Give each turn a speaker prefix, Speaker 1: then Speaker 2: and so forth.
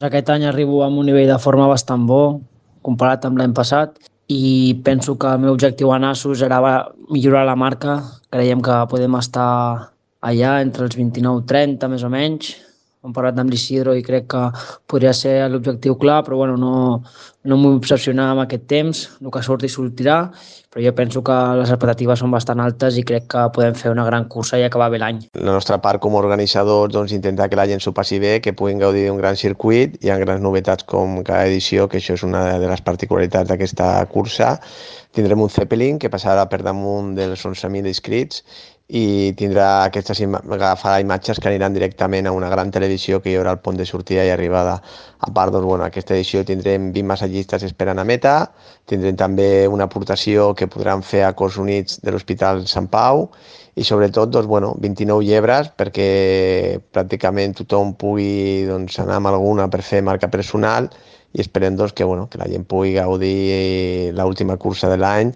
Speaker 1: Aquest any arribo amb un nivell de forma bastant bo, comparat amb l'any passat, i penso que el meu objectiu a Nassos era millorar la marca. Creiem que podem estar allà entre els 29-30, més o menys. Hem parlat amb l'Isidro i crec que podria ser l'objectiu clar, però bueno, no m'ho vull obsessionar amb aquest temps. El que surti sortirà, però jo penso que les expectatives són bastant altes i crec que podem fer una gran cursa i acabar bé l'any.
Speaker 2: La nostra part com a organitzadors, doncs, intentar que la gent s'ho passi bé, que puguin gaudir d'un gran circuit. Hi ha grans novetats com cada edició, que això és una de les particularitats d'aquesta cursa. Tindrem un Zeppelin que passarà per damunt dels 11.000 inscrits i agafarà imatges que aniran directament a una gran televisió que hi haurà al pont de sortida i arribada. A part, doncs, bueno, aquesta edició tindrem 20 massatgistes esperant a meta, tindrem també una aportació que podran fer a Cors Units de l'Hospital Sant Pau i sobretot doncs, bueno, 29 llebres perquè pràcticament tothom pugui doncs, anar amb alguna per fer marca personal i esperem doncs, que la gent pugui gaudir l'última cursa de l'any